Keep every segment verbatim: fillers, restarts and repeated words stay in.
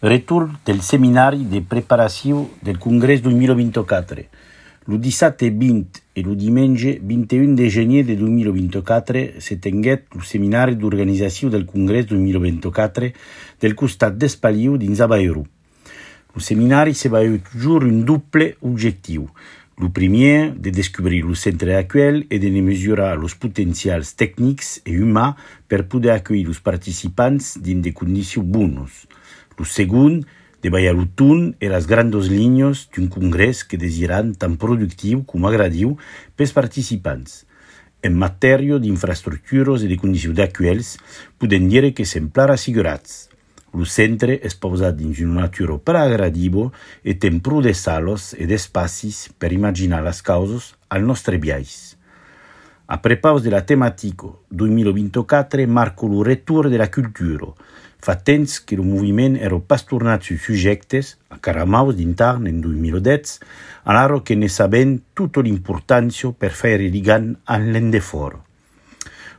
Retur del seminari de preparació del Congrés dos mil vint-i-quatre. Lo dissabte vint e lo diumenge vint e un de gener de dos mil vint-i-quatre se tenguet lo seminari d'organització del Congrés dos mil vint-i-quatre del costat d'Espaliu dins a Bayrou. Lo seminari se va toujours un double objectiu. Lo primer, de descobrir lo centre actuel e de mesurar los potencials tècnics e humans per poder accueillir los participants dins de condicions bones. Lo segon, de ballar lo ton e las grandes línies d'un congrés que desiran tan productiu com agradiu pels participants. En matèria d'infraestructures e de condicions actuals, podem dir que semblar assegurats. Lo centre és pausat dins una natura per agradiva e tem prou de sales e d'espacis per imaginar les causes al nostre viatge. A prepaus de la temàtica dos mil vint-i-quatre marca lo retur de la cultura. Fa temps que lo moviment era pas tornat sus subjectes, a caramaus d'intern en dos mil deu, alaro que ne sabem tota l'importància per fer ligant en l'endefort.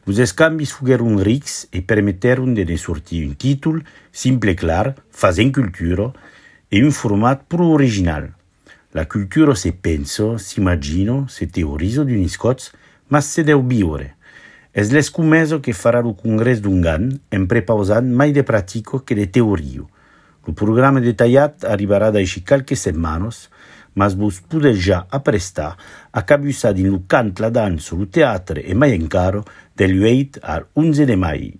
Los escambis fugueron rics e permetteron de ne sortir un títol simple e clar, fazent cultura, e un format prou original. La cultura se pensa, s'imagina, se teoritza d'un iscots, ma se deu viure. És l'escumesa que farà lo congrés d'un gan, en prepausant mai de pratico que de teoria. Lo programa detallat arribarà d'així qualques setmanes, mas vos podeu ja aprestar a cabussar din lo cant, la dansa, lo teatre e mai encara del huit al onze de mai.